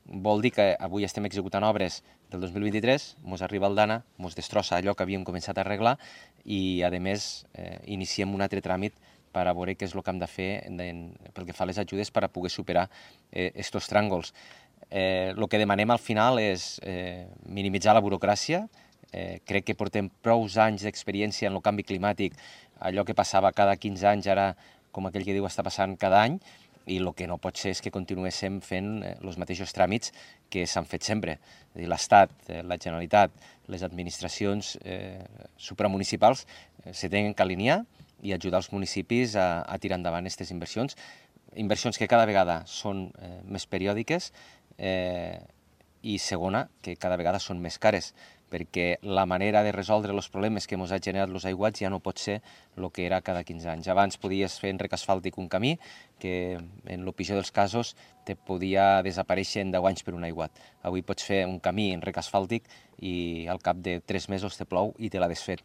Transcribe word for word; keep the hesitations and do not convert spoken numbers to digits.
vol dir que avui estem executant obres del dos mil vint-i-tres, ens arriba el DANA, ens destrossa allò que havíem començat a arreglar i, a més, eh, iniciem un altre tràmit per a veure què és el que hem de fer en, pel que fa a les ajudes per a poder superar aquests eh, tràngols. Eh, el que demanem al final és eh, minimitzar la burocràcia. Eh, crec que portem prou anys d'experiència en el canvi climàtic, allò que passava cada quinze anys, ara, com aquell que diu, està passant cada any, i el que no pot ser és que continuéssim fent els mateixos tràmits que s'han fet sempre. L'Estat, la Generalitat, les administracions eh, supramunicipals eh, se tenen que alinear i ajudar els municipis a, a tirar endavant aquestes inversions, inversions que cada vegada són eh, més periòdiques eh, i, segona, que cada vegada són més cares, perquè la manera de resoldre els problemes que ens ha generat els aiguats ja no pot ser el que era cada quinze anys. Abans podies fer en rec asfàltic un camí que, en el pitjor dels casos, te podia desaparèixer en deu anys per un aiguat. Avui pots fer un camí en rec asfàltic i al cap de tres mesos te plou i te l'ha desfet.